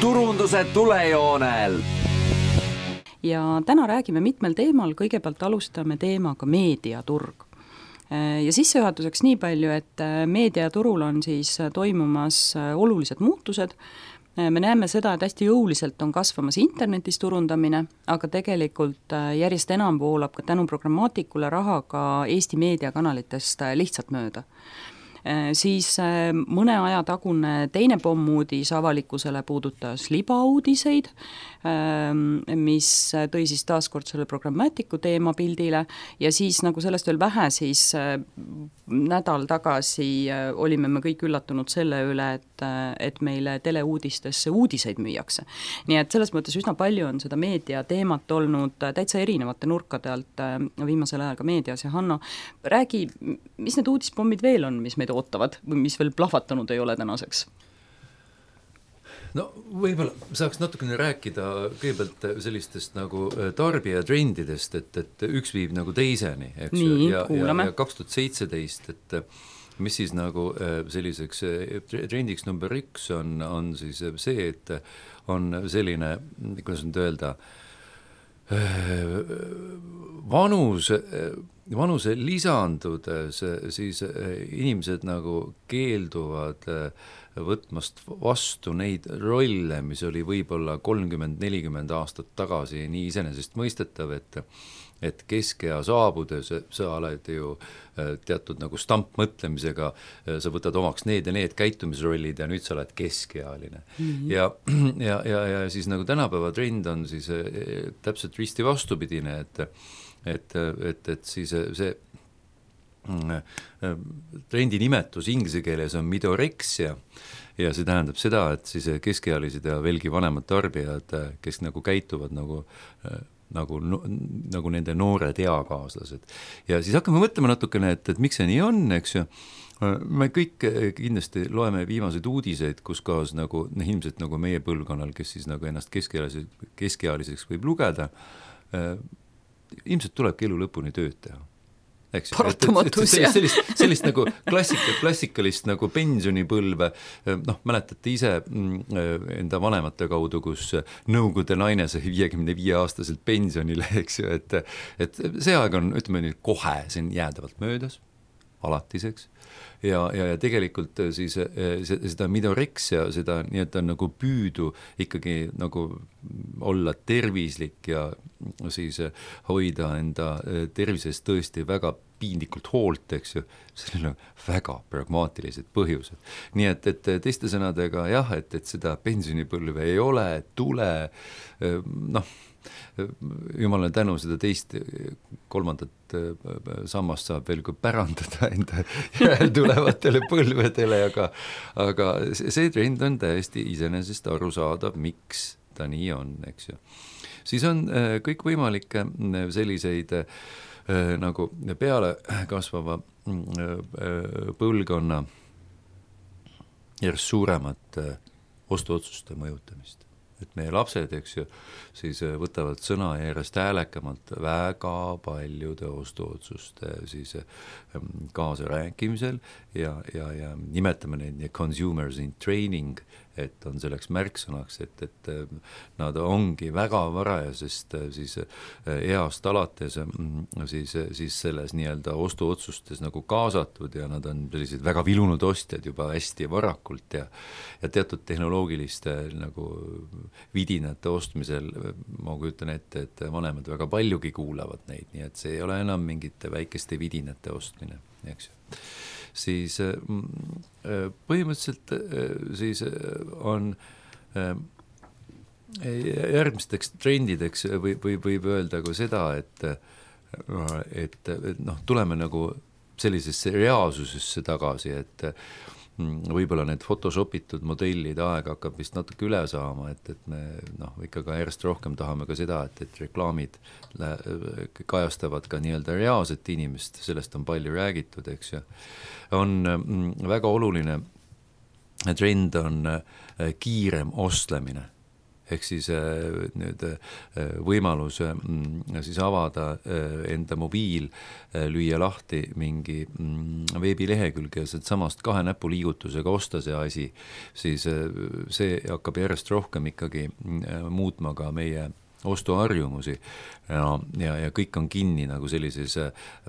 turunduse tulejoonel. Ja täna räägime mitmel teemal, kõigepealt alustame teemaga meediaturg. Ja sissejuhatuseks nii palju, et meediaturul on siis toimumas olulised muutused. Me näeme seda, et hästi jõuliselt on kasvamas internetis turundamine, aga tegelikult järjest enam voolab ka tänu programmaatikule raha ka Eesti meediakanalitest lihtsalt mööda. Siis mõne aja tagune teine pommuudis avalikkusele puudutas libauudiseid, mis tõi siis taaskord selle programmaatiku teema pildile ja siis nagu sellest veel vähe, siis nädal tagasi olime me kõik üllatunud selle üle, et meile teleuudistesse uudiseid müüakse. Nii et selles mõttes üsna palju on seda meedia teemat olnud täitsa erinevate nurkade alt viimasel ajal ka meedias ja Hanno, räägi, mis need uudispommid veel on, mis meid ootavad või mis veel plahvatanud ei ole tänaseks? No võib-olla saaks natukene rääkida kõigepealt sellistest nagu tarbijatrendidest, et üks viib nagu teiseni, eks nii, ja 2017, et mis siis nagu selliseks trendiks number 1 on siis see, et on selline, kuidas nüüd öelda, vanuse lisandudes siis inimesed nagu keelduvad võtmast vastu neid rolle, mis oli võib-olla 30-40 aastat tagasi nii iseenesest mõistetav, et keskea saabudes sa oled ju teatud nagu stampmõtlemisega, sa võtad omaks need ja need käitumisrollid ja nüüd sa oled keskealine. Ja siis nagu tänapäeva trend on siis täpselt risti vastupidine, et siis see trendi nimetus inglise keeles on midorexia ja see tähendab seda, et siis keskealised ja veelgi vanemad tarbijad, kes nagu käituvad nagu nende noored eakaaslased. Ja siis hakkame mõtlema natukene, et miks see nii on, eks ju. Me kõik kindlasti loeme viimaseid uudiseid, kus kaas nagu ilmselt nagu meie põlvkonnal, kes siis nagu ennast keskealiseks võib lugeda, ilmselt tulebki elu lõpuni tööd teha. Paratamatus, jah. Sellist nagu klassikalist nagu pensionipõlve, mäletate ise enda vanemate kaudu, kus nõukogude naine sai 55-aastaselt pensionile, eks ju, et see aeg on, ütleme nii, kohe siin jäädavalt möödas, alatiseks, ja tegelikult siis seda midorexia, seda nii-et on nagu püüdu ikkagi nagu olla tervislik ja siis hoida enda tervisest tõesti väga piinlikult hoolt, eks ju, sellel on väga pragmaatilised põhjused. Nii et teiste sõnadega jah, et seda pensionipõlve ei ole, tule, jumala tänu seda teist, kolmandat sammast saab veel kui pärandada enda tulevatele põlvedele, aga see trend on täiesti iseenesest arusaadav, miks ta nii on, eks ju. Siis on kõik võimalikke selliseid nagu peale kasvava põlvkonna järjest suuremat ostuotsuste mõjutamist. Et meie lapsed, eks ju, siis võtavad sõna järjest häälekamalt väga paljude ostuotsuste siis kaasa rääkimisel ja nimetame neid consumers in training, et on selleks märksõnaks, et nad ongi väga varajasest siis east alates siis selles nii-öelda ostuotsustes nagu kaasatud ja nad on sellised väga vilunud ostjad juba hästi varakult ja teatud tehnoloogiliste nagu vidinate ostmisel ma kujutan ette, et vanemad väga paljugi kuulavad neid, nii et see ei ole enam mingite väikeste vidinate ostmine, eks ju. Siis põhimõtteliselt siis on järgmisteks trendideks võib öelda ka seda, et tuleme nagu sellisesse reaalsusesse tagasi, et võib-olla need photoshopitud modellid aeg hakkab vist natuke üle saama, et me ikka ka järjest rohkem tahame ka seda, et reklaamid kajastavad ka nii-öelda reaalset inimest, sellest on palju räägitud, eks ju. On väga oluline trend on kiirem ostlemine, ehk siis nüüd võimalus siis avada enda mobiil, lüüa lahti mingi veebilehekülg ja samast 2 näpuliigutusega osta see asi, siis see hakkab järjest rohkem ikkagi muutma ka meie ostuharjumusi ja kõik on kinni nagu sellises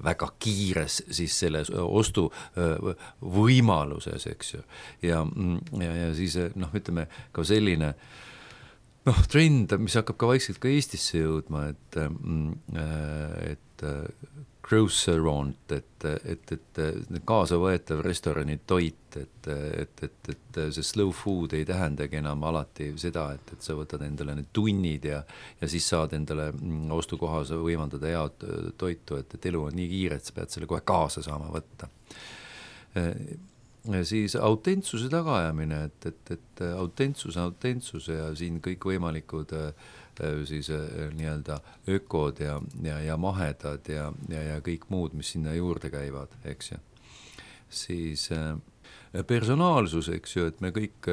väga kiires siis selles ostu võimaluses, eks ju. Ja siis ütleme ka selline trend, mis hakkab ka vaikselt ka Eestisse jõudma, et grocerant, et kaasa võetav restorani toit, et see slow food ei tähendagi enam alati seda, et sa võtad endale need tunnid ja siis saad endale ostukohas võimaldada head toitu, et elu on nii kiire, et sa pead selle kohe kaasa saama võtta. Siis autentsuse tagaajamine, et autentsus ja siin kõik võimalikud siis nii-öelda ökod ja mahedad ja kõik muud, mis sinna juurde käivad, eks ju. Siis personaalsus, eks ju, et me kõik,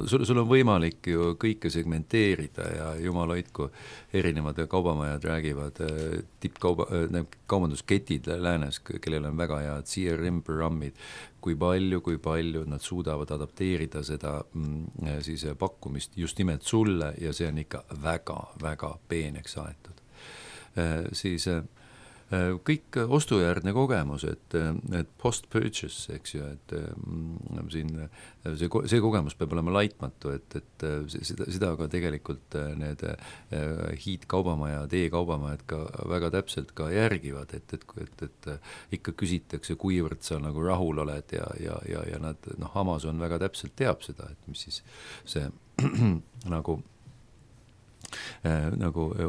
sul on võimalik ju kõike segmenteerida ja jumal hoidku, erinevad kaubamajad räägivad, kaubandusketid läänes, kellel on väga head CRM-programmid, kui palju nad suudavad adapteerida seda siis pakkumist just nimelt sulle ja see on ikka väga peeneks aetud. Siis kõik ostujärgne kogemus, et post-purchase, eks ju, et siin see kogemus peab olema laitmatu, et seda aga tegelikult need hiidkaubamajad, e-kaubamajad ka väga täpselt ka järgivad, et ikka küsitakse, kuivõrd sa nagu rahul oled ja nad, Amazon väga täpselt teab seda, et mis siis see nagu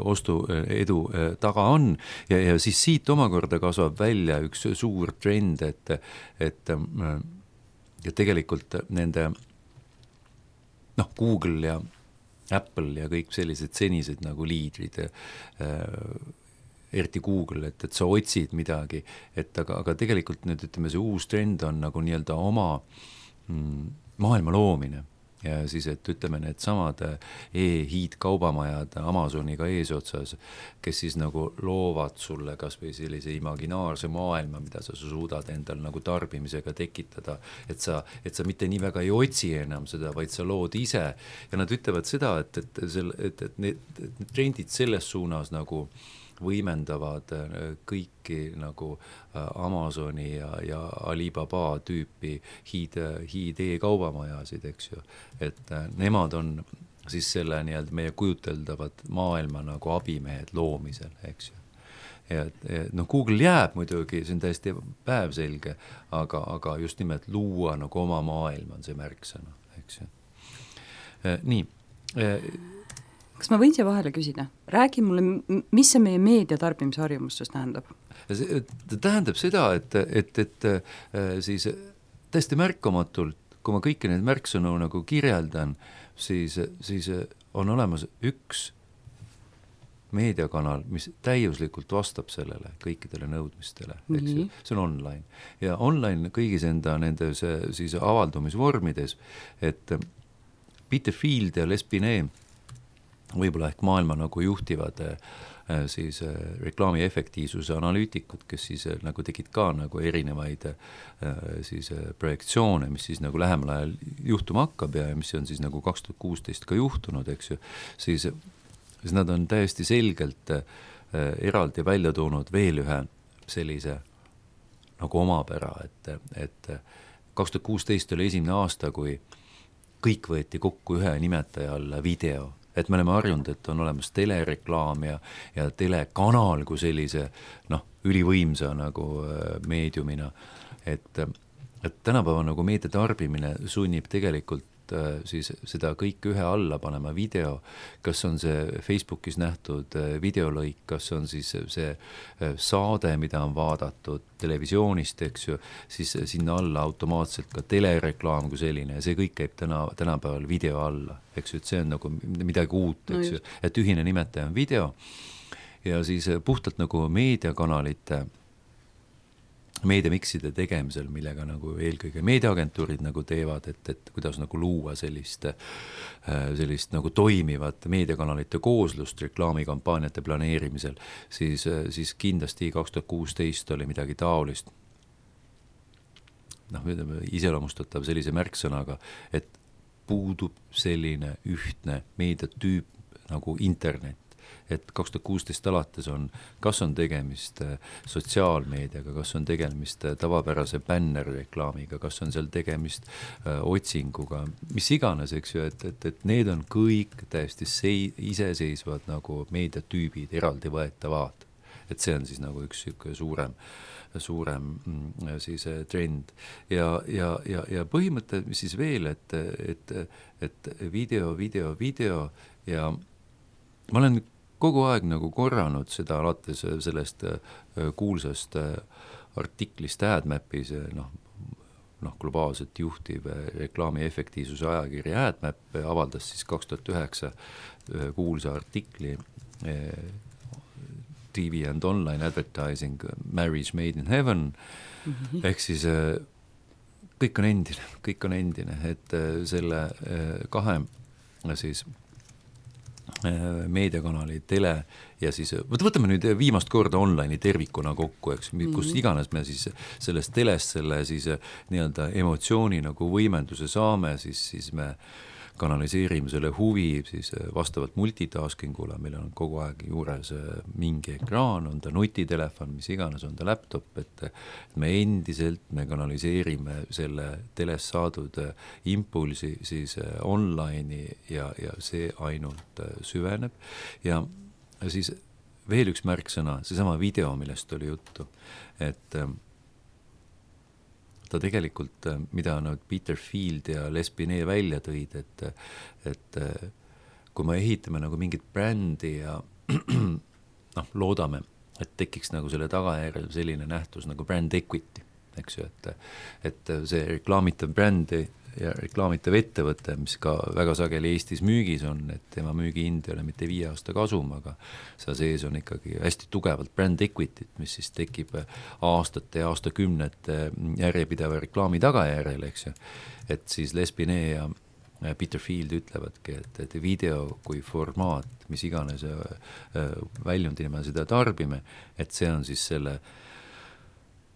ostu edu taga on ja siis siit omakorda kasvab välja üks suur trend, et tegelikult nende Google ja Apple ja kõik sellised senised nagu liidrid, eriti Google, et sa otsid midagi, aga tegelikult nüüd ütleme, see uus trend on nagu nii-öelda oma maailma loomine. Ja siis, et ütleme, need samad e-hiidkaubamajad Amazoniga eesotsas, kes siis nagu loovad sulle kas või sellise imaginaarse maailma, mida sa suudad endal nagu tarbimisega tekitada, et sa mitte nii väga ei otsi enam seda, vaid sa lood ise. Ja nad ütlevad seda, et need trendid selles suunas nagu võimendavad kõiki nagu Amazoni ja Alibaba tüüpi hiid e-kaubamajasid, eks ju. Et nemad on siis selle nii-öelda meie kujuteldavat maailma nagu abimehed loomisel, eks ju. Ja Google jääb muidugi, see on täiesti päevselge, aga just nimelt luua nagu oma maailma on see märksõna, eks ju. Nii. Kas ma võin siia vahele küsida? Räägi mulle, mis see meie meediatarbimisharjumustus tähendab? Ta tähendab seda, et siis täiesti märkamatult, kui ma kõiki neid märksõnu nagu kirjeldan, siis on olemas üks meediakanal, mis täiuslikult vastab sellele kõikidele nõudmistele, eks ju. See on online. Ja online kõigis nende siis avaldumisvormides, et Peter Field ja Les Binet võib-olla ehk maailma nagu juhtivad siis reklaami efektiivsuse analüütikud, kes siis nagu tegid ka nagu erinevaid siis projektsioone, mis siis nagu lähemal ajal juhtuma hakkab ja mis on siis nagu 2016 ka juhtunud, eks ju, siis nad on täiesti selgelt eraldi välja toonud veel ühe sellise nagu omapära, et 2016 oli esimene aasta, kui kõik võeti kokku ühe nimetaja alla video. Et me oleme harjunud, et on olemas telereklaam ja telekanal kui sellise ülivõimsa nagu meediumina, et tänapäeva nagu meediatarbimine sunnib tegelikult siis seda kõike ühe alla panema video, kas on see Facebookis nähtud videolõik, kas on siis see saade, mida on vaadatud televisioonist, eks ju, siis sinna alla automaatselt ka telereklaam kui selline ja see kõik käib tänapäeval video alla, eks ju, et see on nagu midagi uut, eks ju, et ühine nimetaja on video ja siis puhtalt nagu meediakanalite meediamikside tegemisel, millega nagu eelkõige meediaagentuurid nagu teevad, et kuidas nagu luua sellist nagu toimivat meediakanalite kooslust reklaamikampaaniate planeerimisel, siis kindlasti 2016 oli midagi taolist, iseloomustatav sellise märksõnaga, et puudub selline ühtne meediatüüp nagu internet. Et 2016 alates kas on tegemist sotsiaalmeediaga, kas on tegemist tavapärase bännerreklaamiga, kas on seal tegemist otsinguga, mis iganes, eks ju, et need on kõik täiesti iseseisvad nagu meediatüübid, eraldi võetavad. Et see on siis nagu üks suurem siis trend. Ja põhimõte, mis siis veel, et video ja ma olen kogu aeg nagu korranud seda alates sellest kuulsast artiklist AdMapis, globaalselt juhtiv reklaami efektiivsuse ajakiri AdMap avaldas siis 2009 kuulsa artikli TV and online advertising marriage made in heaven, ehk siis kõik on endine, et selle kahe siis meediakanali, tele ja siis, võtame nüüd viimast korda online'i tervikuna kokku, eks, kus iganes me siis sellest telest selle siis nii-öelda emotsiooni nagu võimenduse saame, siis me kanaliseerime selle huvi siis vastavalt multitaskingule, meil on kogu aeg juures mingi ekraan, on ta nutitelefon, mis iganes, on ta laptop, et me kanaliseerime selle telest saadud impulsi siis online'i ja see ainult süveneb. Ja siis veel üks märksõna, seesama video, millest oli juttu, et ta tegelikult, mida Peter Field ja Les Binet välja tõid, et kui me ehitame nagu mingit brändi ja loodame, et tekiks nagu selle tagajärjel selline nähtus nagu brand equity, eks ju, et see reklaamitav brändi ja reklaamitav ettevõte, mis ka väga sageli Eestis müügis on, et tema müügihind ei ole mitte 5 aasta kasum, aga seal sees on ikkagi hästi tugevalt brand equity, mis siis tekib aastate ja aastakümnete järjepideva reklaami tagajärjel, eks ju, et siis Les Binet ja Peter Field ütlevadki, et video kui formaat, mis iganes väljundina me seda tarbime, et see on siis selle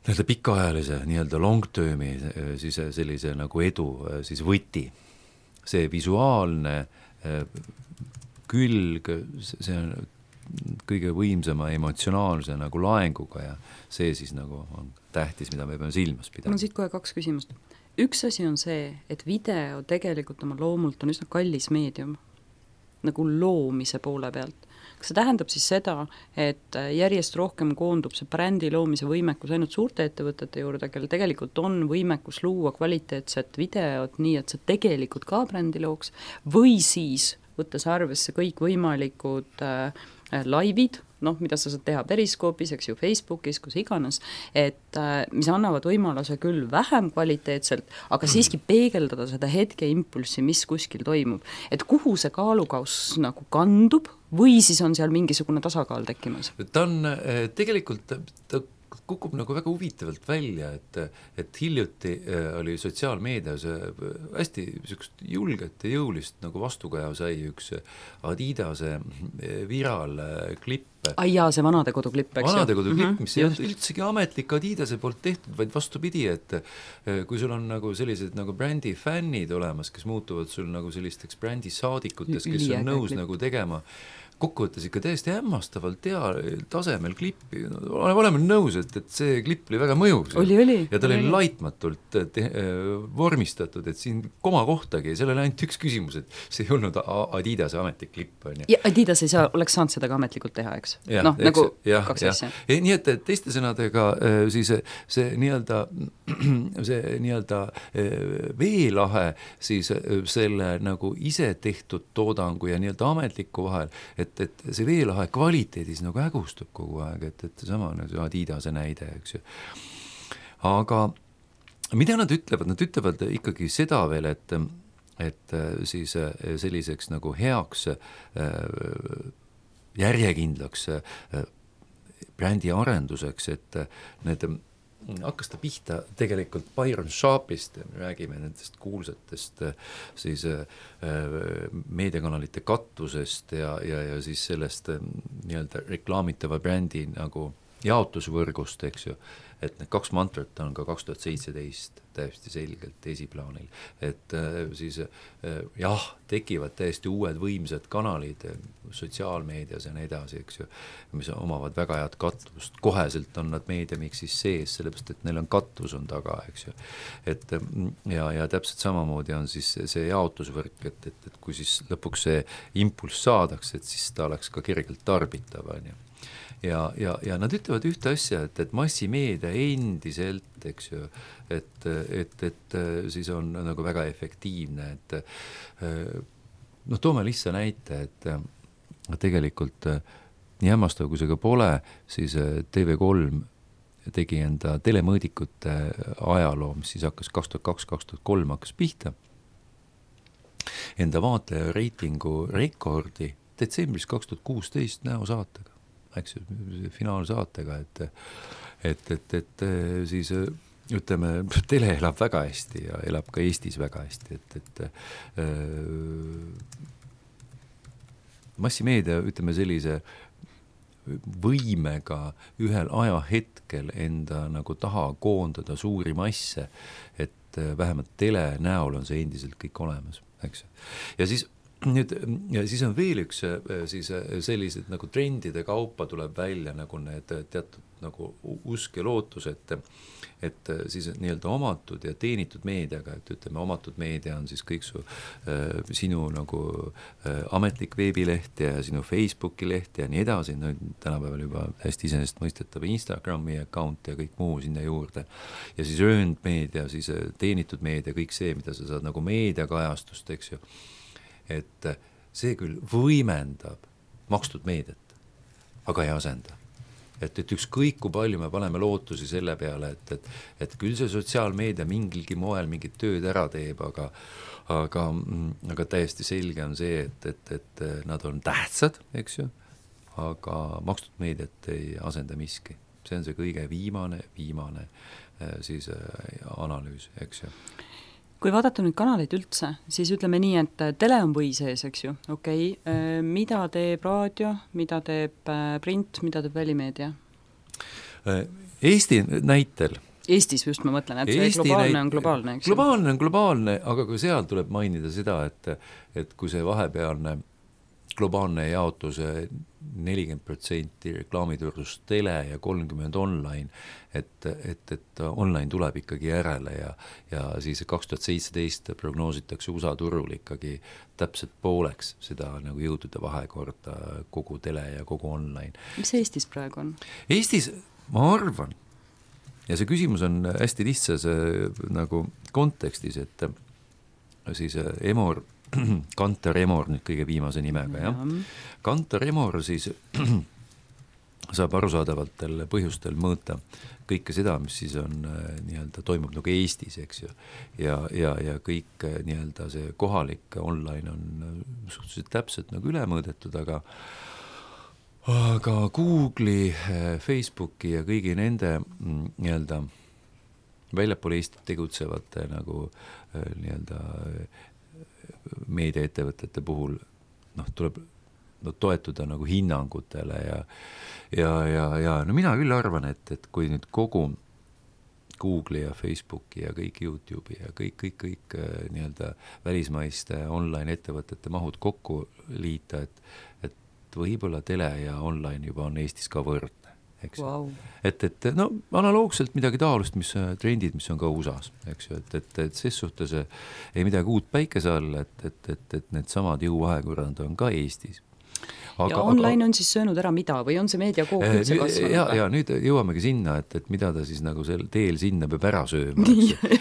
pikaajalise nii-öelda long-termi siis sellise nagu edu siis võti. See visuaalne külg, see on kõige võimsama emotsionaalse nagu laenguga ja see siis nagu on tähtis, mida me peame silmas pidama. Mul on siit kohe 2 küsimust. Üks asi on see, et video tegelikult oma loomult on üsna kallis meedium, nagu loomise poole pealt. Kas see tähendab siis seda, et järjest rohkem koondub see brändi loomise võimekus ainult suurte ettevõtete juurde, kel tegelikult on võimekus luua kvaliteetset videot nii, et see tegelikult ka brändi looks, või siis võttes arvesse kõik võimalikud laivid, mida sa saad teha Periskoopis, eks ju, Facebookis, kus iganes, et mis annavad võimaluse küll vähem kvaliteetselt, aga siiski peegeldada seda hetke impulssi, mis kuskil toimub. Et kuhu see kaalukaus nagu kandub või siis on seal mingisugune tasakaal tekkimas? Ta on tegelikult, ta kukub nagu väga huvitavalt välja, et hiljuti oli sotsiaalmeedias hästi niisugust julget ja jõulist nagu vastukaja sai üks Adidase viraalklipp. Ai jaa, see vanadekoduklipp, eks ju? Vanadekoduklipp, mis ei olnud üldsegi ametlik Adidase poolt tehtud, vaid vastupidi, et kui sul on nagu sellised nagu brändi fännid olemas, kes muutuvad sul nagu sellisteks brändi saadikutes, kes on nõus nagu tegema kokkuvõttes ikka täiesti hämmastavalt tasemel klippi. Oleme nõus, et see klipp oli väga mõjus. Ja ta oli laitmatult vormistatud, et siin koma kohtagi, seal oli ainult üks küsimus, et see ei olnud Adidase ametlik klipp. Ja Adidas ei oleks saanud seda ka ametlikult teha, eks? Nagu 2 asja. Nii et teiste sõnadega siis see nii-öelda veelahe siis selle nagu ise tehtud toodangu ja nii-öelda ametliku vahel, et see veelahe kvaliteedis nagu hägustub kogu aeg, et sama nagu Adidase näide, eks ju. Aga mida nad ütlevad? Nad ütlevad ikkagi seda veel, et siis selliseks nagu heaks järjekindlaks brändi arenduseks, et need hakkas ta pihta tegelikult Byron Sharpist, me räägime nendest kuulsatest siis meediakanalite katusest ja siis sellest nii-öelda reklaamitava brändi nagu jaotusvõrgust, eks ju, et need 2 mantrat on ka 2017 täiesti selgelt esiplaanil, et siis jah, tekivad täiesti uued võimsad kanalid sotsiaalmeedias ja nii edasi, eks ju, mis omavad väga head kattust, koheselt on nad meediamiksis sees, sellepärast et neil on katus on taga, eks ju, et ja täpselt samamoodi on siis see jaotusvõrk, et kui siis lõpuks see impulss saadaks, et siis ta oleks ka kergelt tarbitav, on ju. Ja nad ütlevad ühte asja, et massimeedia endiselt, eks ju, et siis on nagu väga efektiivne, et toome lihtsa näite, et tegelikult nii hämmastav, kui see ka pole, siis TV3 tegi enda telemõõdikute ajaloo, mis siis hakkas 2002-2003 hakkas pihta, enda vaatleja reitingu rekordi detsembris 2016 näosaatega, eks ju, finaalsaatega, et siis ütleme, tele elab väga hästi ja elab ka Eestis väga hästi, et massimeedia, ütleme sellise võimega ühel ajahetkel enda nagu taha koondada suuri masse, et vähemalt tele näol on see endiselt kõik olemas, eks ju. Ja siis nüüd, ja siis on veel üks siis sellised nagu trendide kaupa tuleb välja nagu need teatud nagu usk ja lootus, et siis nii-öelda omatud ja teenitud meediaga, et ütleme, omatud meedia on siis kõik sinu nagu ametlik veebileht ja sinu Facebooki leht ja nii edasi, no tänapäeval juba hästi iseenesest mõistetav Instagrami account ja kõik muu sinna juurde. Ja siis earned meedia, siis teenitud meedia, kõik see, mida sa saad nagu meediakajastust, eks ju. Et see küll võimendab makstud meediat, aga ei asenda. Et ükskõik kui palju me paneme lootusi selle peale, et küll see sotsiaalmeedia mingilgi moel mingit tööd ära teeb, aga täiesti selge on see, et nad on tähtsad, eks ju, aga makstud meediat ei asenda miski. See on see kõige viimane siis analüüs, eks ju. Kui vaadata nüüd kanaleid üldse, siis ütleme nii, et tele on või sees, eks ju, okei. Mida teeb raadio, mida teeb print, mida teeb välimeedia? Eesti näitel. Eestis just ma mõtlen, et see globaalne on globaalne, eks ju? Globaalne on globaalne, aga ka seal tuleb mainida seda, et kui see vahepealne globaalne jaotus 40% reklaamiturust tele ja 30% online, et online tuleb ikkagi järele ja siis 2017 prognoositakse USA turul ikkagi täpselt pooleks seda nagu jõudude vahekorda kogu tele ja kogu online. Mis Eestis praegu on? Eestis, ma arvan, ja see küsimus on hästi lihtsas nagu kontekstis, et siis Emor Kantar Emor nüüd kõige viimase nimega, jah. Kantar Emor siis saab arusaadavatel põhjustel mõõta kõike seda, mis siis on nii-öelda toimub nagu Eestis, eks ju. Ja kõik nii-öelda see kohalik online on suhteliselt täpselt nagu üle mõõdetud, aga Google'i, Facebooki ja kõigi nende nii-öelda väljapool Eestit tegutsevate nagu nii-öelda meediaettevõtete puhul tuleb toetuda nagu hinnangutele ja no mina küll arvan, et kui nüüd kogu Google'i ja Facebooki ja kõik YouTube'i ja kõik nii-öelda välismaiste online ettevõtete mahud kokku liita, et võib-olla tele ja online juba on Eestis ka võrdne. Wow. Et no analoogselt midagi taolust, mis trendid, mis on ka USA-s, eks ju, et ses suhtes ei midagi uut päikese all, et need samad jõuvahekorrad on ka Eestis. Ja online on siis söönud ära mida või on see meediakook üldse kasvanud? Ja nüüd jõuamegi sinna, et mida ta siis nagu sel teel sinna peab ära sööma.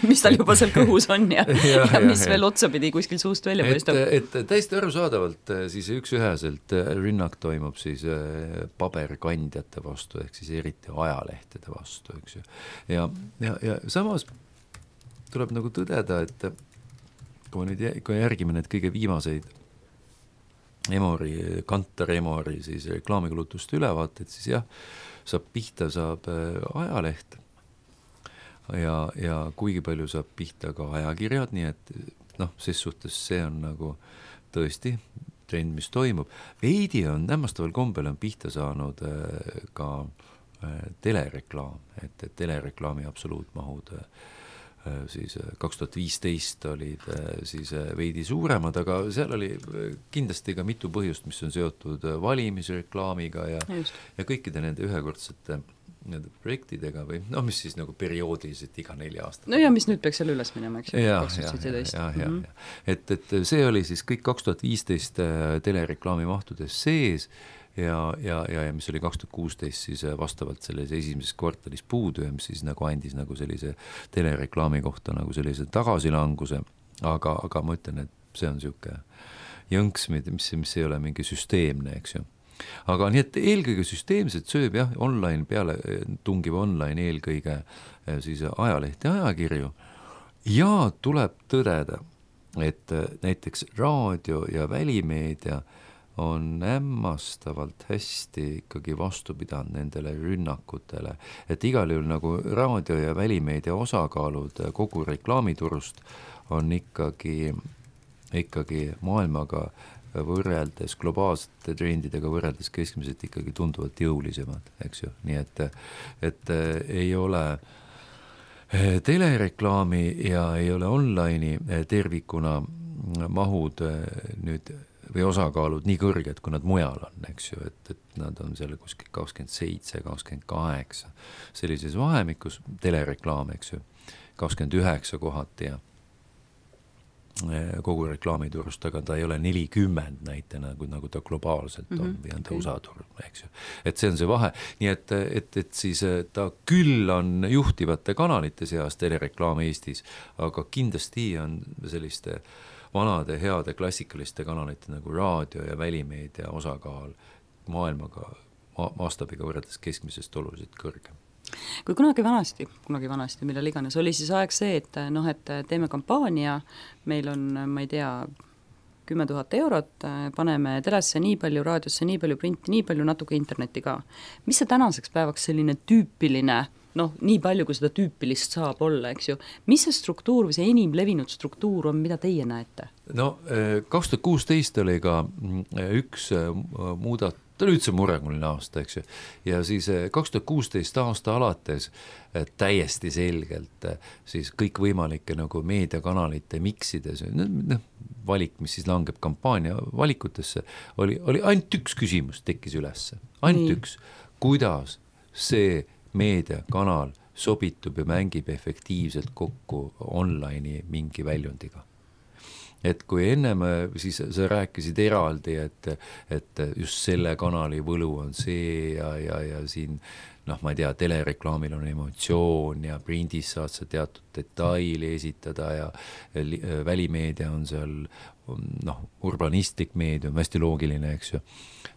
Mis tal juba seal kõhus on ja mis veel otsapidi kuskil suust välja paistab. Et täiesti arusaadavalt siis üksüheselt rünnak toimub siis paberkandjate vastu, ehk siis eriti ajalehtede vastu, eks ju. Ja samas tuleb nagu tõdeda, et kui järgime need kõige viimaseid Kantar Emori siis reklaamikulutuste ülevaated, siis jah, saab pihta ajaleht. ja kuigi palju saab pihta ka ajakirjad, nii et noh, ses suhtes see on nagu tõesti trend, mis toimub. Veidi on hämmastaval kombel on pihta saanud ka telereklaam, et telereklaami absoluutmahud siis 2015 olid siis veidi suuremad, aga seal oli kindlasti ka mitu põhjust, mis on seotud valimisreklaamiga ja kõikide nende ühekordsete nende projektidega või noh, mis siis nagu perioodiliselt iga 4 aastat. No ja mis nüüd peaks seal üles minema, eks ju, 2017. Et see oli siis kõik 2015 telereklaami mahtudes sees ja mis oli 2016 siis vastavalt selles esimeses kvartalis puudu ja mis siis nagu andis nagu sellise telereklaami kohta nagu sellise tagasilanguse, aga ma ütlen, et see on niisugune jõnks, mis ei ole mingi süsteemne, eks ju. Aga nii, et eelkõige süsteemselt sööb jah, online peale, tungib online eelkõige siis ajalehti ja ajakirju ja tuleb tõdeda, et näiteks raadio ja välimeedia on hämmastavalt hästi ikkagi vastu pidanud nendele rünnakutele, et igal juhul nagu raadio ja välimeedia osakaalud kogu reklaamiturust on ikkagi maailmaga võrreldes, globaalsete trendidega võrreldes keskmiselt ikkagi tunduvalt jõulisemad, eks ju, nii et ei ole telereklaami ja ei ole online'i tervikuna mahud nüüd või osakaalud nii kõrged, kui nad mujal on, eks ju, et nad on seal kuskil 27, 28 sellises vahemikus, telereklaam, eks ju, 29 kohati ja kogu reklaamiturust, aga ta ei ole 40 näitena, nagu ta globaalselt on või on ta USA turg, eks ju. Et see on see vahe, nii et siis ta küll on juhtivate kanalite seas telereklaam Eestis, aga kindlasti on selliste vanade heade klassikaliste kanalite nagu raadio ja välimeedia osakaal maailmaga mastaabiga võrreldes keskmisest oluliselt kõrgem. Kui kunagi vanasti, millal iganes, oli siis aeg see, et teeme kampaania, meil on, ma ei tea, 10 000 eurot, paneme telesse nii palju, raadiosse nii palju, printi nii palju, natuke internetti ka. Mis see tänaseks päevaks selline tüüpiline, nii palju, kui seda tüüpilist saab olla, eks ju. Mis see struktuur või see enim levinud struktuur on, mida teie näete? 2016 oli ka üks ta oli üldse mureguline aasta, eks ju. Ja siis 2016 aasta alates täiesti selgelt siis kõik võimalike nagu meediakanalite miksides, valik, mis siis langeb kampaania valikutesse, oli ainult üks küsimus tekkis ülesse. Ainult üks, kuidas see meediakanal sobitub ja mängib efektiivselt kokku online'i mingi väljundiga. Et kui ennem siis sa rääkisid eraldi, et just selle kanali võlu on see ja siin, ma ei tea, telereklaamil on emotsioon ja prindis saad sa teatud detaili esitada ja välimeedia on seal, urbanistlik meedium, hästi loogiline, eks ju.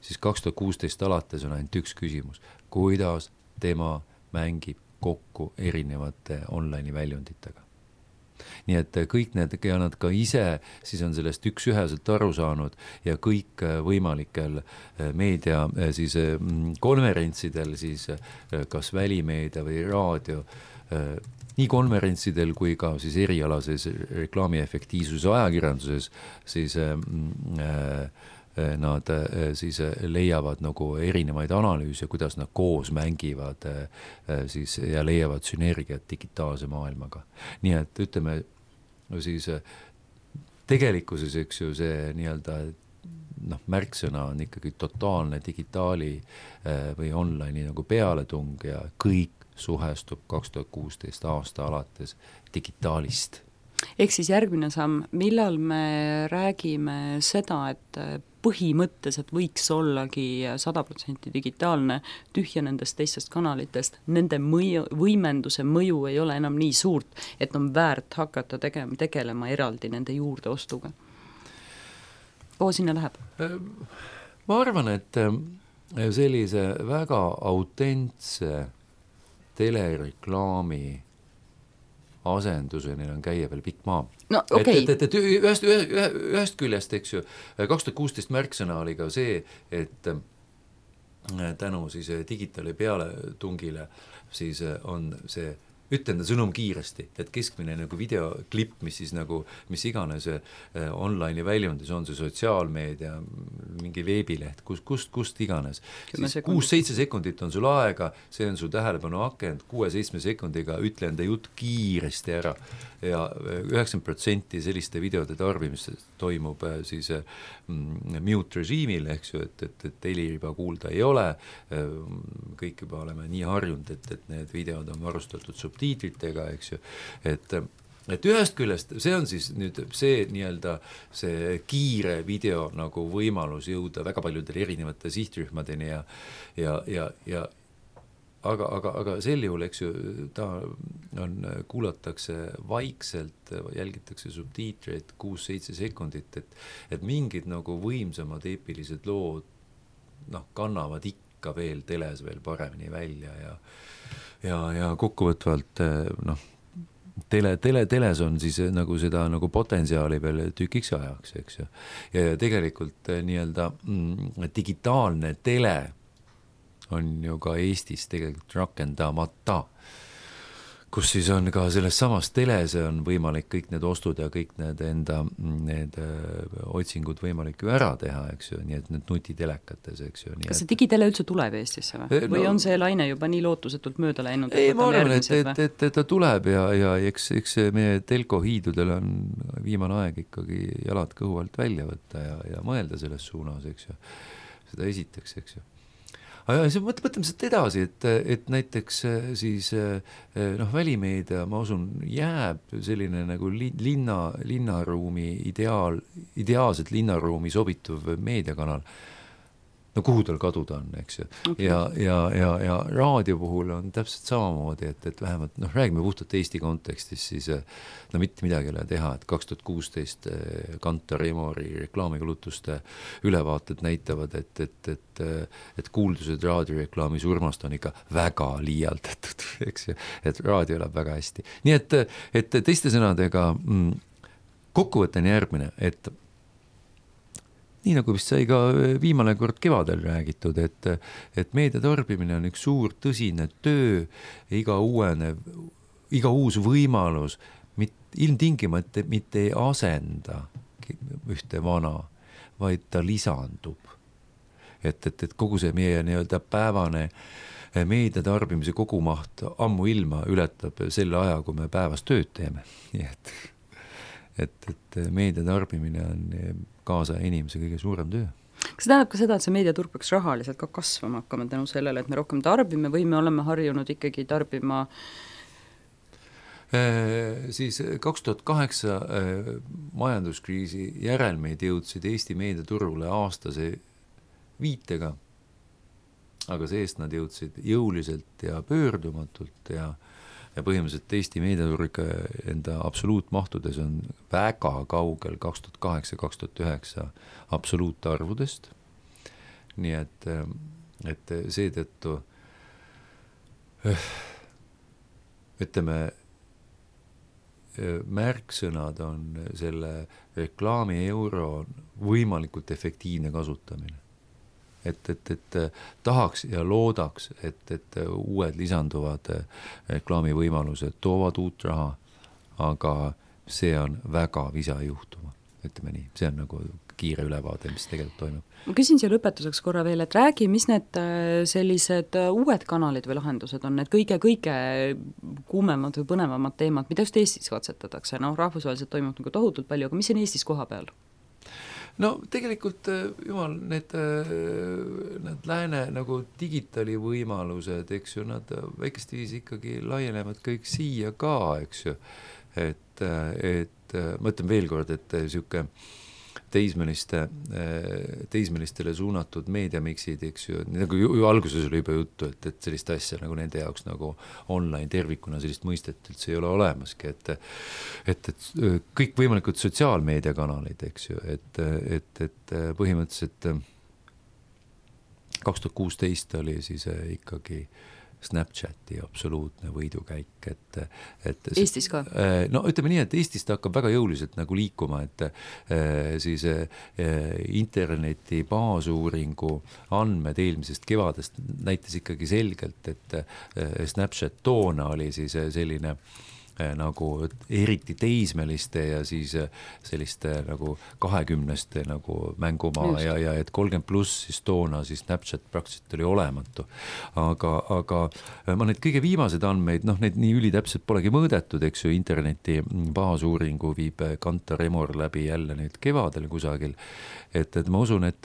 Siis 2016 alates on ainult üks küsimus, kuidas tema mängib kokku erinevate online'i väljunditega. Nii et kõik need ja nad ka ise siis on sellest üksüheselt aru saanud ja kõik võimalikel meedia siis konverentsidel siis kas välimeedia või raadio nii konverentsidel kui ka siis erialases reklaami efektiivsuse ajakirjanduses siis nad siis leiavad nagu erinevaid analüüse, kuidas nad koos mängivad siis ja leiavad sünergiat digitaalse maailmaga. Nii et ütleme siis tegelikkuses, eks ju, see nii-öelda märksõna on ikkagi totaalne digitaali või online'i nagu pealetung ja kõik suhestub 2016 aasta alates digitaalist. Ehk siis järgmine samm, millal me räägime seda, et põhimõtteliselt võiks ollagi 100% digitaalne, tühja nendest teistest kanalitest, nende võimenduse mõju ei ole enam nii suurt, et on väärt hakata tegelema eraldi nende juurdeostuga. Kuhu sinna läheb? Ma arvan, et sellise väga autentse telereklaami asenduseni on käia veel pikk maa. Okay. Et ühest küljest, eks ju, 2016 märksõna oli ka see, et tänu siis digitaali peale tungile siis on see ütlen sõnum kiiresti, et keskmine nagu videoklipp, mis siis nagu, mis iganes online'i väljundis on see sotsiaalmeedia, mingi veebileht, kust iganes. 6-7 sekundit on sul aega, see on su tähelepanu akent, 6-7 sekundiga ütle enda jutt kiiresti ära ja 90% selliste videode tarbimist toimub siis mute režiimil, eks ju, et heliriba kuulda ei ole, kõik juba oleme nii harjunud, et need videod on varustatud subtiitritega, eks ju, et ühest küljest see on siis nüüd see nii-öelda see kiire video nagu võimalus jõuda väga paljudele erinevate sihtrühmadeni ja aga sel juhul, eks ju, ta kuulatakse vaikselt, jälgitakse subtiitreid 6-7 sekundit, et mingid nagu võimsamad eepilised lood kannavad ikka veel teles veel paremini välja ja kokkuvõtvalt teles on siis nagu seda nagu potentsiaali veel tükiks ajaks, eks ju. Ja tegelikult nii-öelda digitaalne tele on ju ka Eestis tegelikult rakendamata, kus siis on ka selles samas teles on võimalik kõik need ostud ja kõik need otsingud võimalik ju ära teha, eks ju, nii et need nutitelekates, eks ju. Kas see digitele üldse tuleb Eestisse või on see laine juba nii lootusetult mööda läinud? Ei, ma arvan, et ta tuleb ja eks meie telkohiidudel on viimane aeg ikkagi jalad kõhu alt välja võtta ja mõelda selles suunas, eks ju. Seda esiteks, eks ju. Mõtleme seda edasi, et näiteks siis välimeedia, ma usun, jääb selline nagu linnaruumi ideaalselt linnaruumi sobituv meediakanal. No kuhu tal kaduda on, eks ju. Okay. Ja raadio puhul on täpselt samamoodi, et vähemalt, räägime puhtalt Eesti kontekstis, siis mitte midagi ei ole teha, et 2016 Kantar Emori reklaamikulutuste ülevaated näitavad, et kuuldused raadioreklaami surmast on ikka väga liialdatud, eks ju, et raadio elab väga hästi. Nii et teiste sõnadega kokkuvõte on järgmine, et nii nagu vist sai ka viimane kord kevadel räägitud, et meedia tarbimine on üks suur tõsine töö, iga uus võimalus ilmtingimata mitte ei asenda ühte vana, vaid ta lisandub. Et kogu see meie nii-öelda päevane meedia tarbimise kogumaht ammu ilma ületab selle aja, kui me päevas tööd teeme. Nii et meedia tarbimine on kaasa inimese kõige suurem töö. Kas see tähendab ka seda, et see meediaturg peaks rahaliselt ka kasvama hakkama tänu sellele, et me rohkem tarbime või me oleme harjunud ikkagi tarbima? Siis 2008 majanduskriisi järelmeid jõudsid Eesti meediaturule aastase viitega, aga seest nad jõudsid jõuliselt ja pöördumatult ja põhimõtteliselt Eesti meediaturg enda absoluutmahtudes on väga kaugel 2008-2009 absoluutarvudest. Nii et seetõttu ütleme, märksõnad on selle reklaami euro võimalikult efektiivne kasutamine. Et tahaks ja loodaks, et uued lisanduvad reklaamivõimalused toovad uut raha, aga see on väga visa juhtuma, ütleme nii. See on nagu kiire ülevaade, mis tegelikult toimub. Ma küsin siia lõpetuseks korra veel, et räägi, mis need sellised uued kanalid või lahendused on, need kõige kuumemad või põnevamad teemad, mida just Eestis katsetatakse, rahvusvaheliselt toimub nagu tohutult palju, aga mis on Eestis koha peal? No tegelikult jumal, need lääne nagu digitaali võimalused, eks ju, nad väikest viisi ikkagi laienevad kõik siia ka, eks ju, et ma ütlen veel kord, et siuke teismelistele suunatud meediamiksid, eks ju, nagu ju alguses oli juba juttu, et sellist asja nagu nende jaoks nagu online tervikuna sellist mõistet üldse ei ole olemaski, et kõik võimalikud sotsiaalmeediakanalid, eks ju, et põhimõtteliselt 2016 oli siis ikkagi Snapchati absoluutne võidukäik, et Eestis ka? No ütleme nii, et Eestis ta hakkab väga jõuliselt nagu liikuma, et siis interneti baasuuringu andmed eelmisest kevadest näitas ikkagi selgelt, et Snapchat toona oli siis selline nagu eriti teismeliste ja siis selliste nagu 20 nagu mängumaa just. ja et 30+ siis toona siis Snapchat praktiliselt oli olematu. Aga ma need kõige viimased andmeid, need nii ülitäpselt polegi mõõdetud, eks ju, interneti baasuuringu viib Kantar Emor läbi jälle nüüd kevadel kusagil, et ma usun, et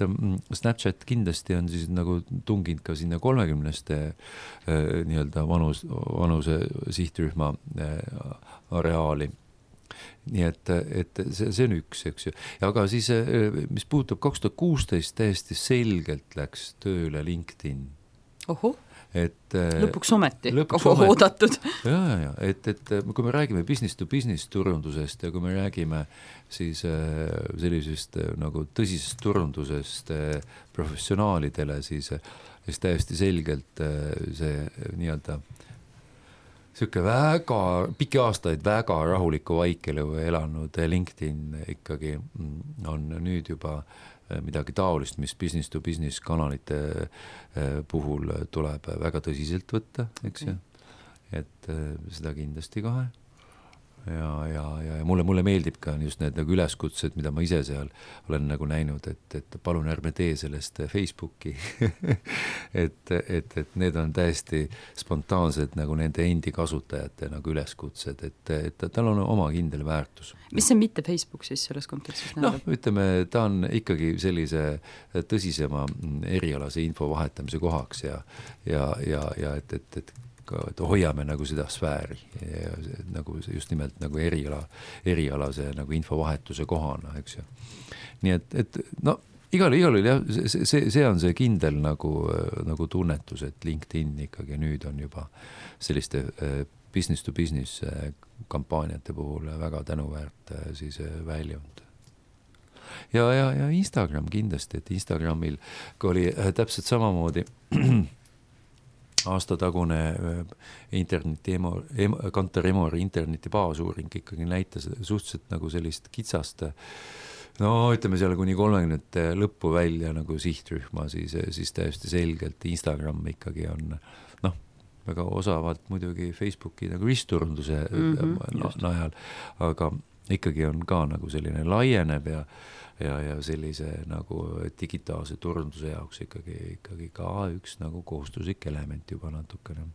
Snapchat kindlasti on siis nagu tunginud ka sinna 30 nii-öelda vanuse sihtrühma areaali. Nii et see on üks, eks ju. Aga siis, mis puudutab 2016, täiesti selgelt läks tööle LinkedIn. Oho, lõpuks ometi, oodatud. Ja, et kui me räägime business to business turundusest ja kui me räägime siis sellisest nagu tõsisest turundusest professionaalidele, siis täiesti selgelt see nii-öelda siuke väga pikki aastaid väga rahuliku vaikelu elanud LinkedIn ikkagi on nüüd juba midagi taolist, mis business to business kanalite puhul tuleb väga tõsiselt võtta, eks ju, et seda kindlasti kohe. Ja mulle meeldib ka just need nagu üleskutsed, mida ma ise seal olen nagu näinud, et palun ärme tee sellest Facebooki. et need on täiesti spontaansed nagu nende endi kasutajate nagu üleskutsed, et tal on oma kindel väärtus. Mis see mitte Facebook siis selles kontekstis näeb? Ütleme, ta on ikkagi sellise tõsisema erialase info vahetamise kohaks ja et hoiame nagu seda sfääri ja nagu just nimelt nagu erialase nagu infovahetuse kohana, eks ju. Nii et igal jah, see on see kindel nagu tunnetus, et LinkedIn ikkagi nüüd on juba selliste business to business kampaaniate puhul väga tänuväärt siis väljunud. Ja Instagram kindlasti, et Instagramil oli täpselt samamoodi aastatagune Kantar Emori interneti baasuuring ikkagi näitas suhteliselt nagu sellist kitsast, ütleme seal kuni 30 lõppu välja nagu sihtrühma, siis täiesti selgelt Instagram ikkagi on väga osavalt muidugi Facebooki nagu ristturunduse najal, aga ikkagi on ka nagu selline laieneb ja sellise nagu digitaalse turunduse jaoks ikkagi ka üks nagu kohustuslik element juba natukene.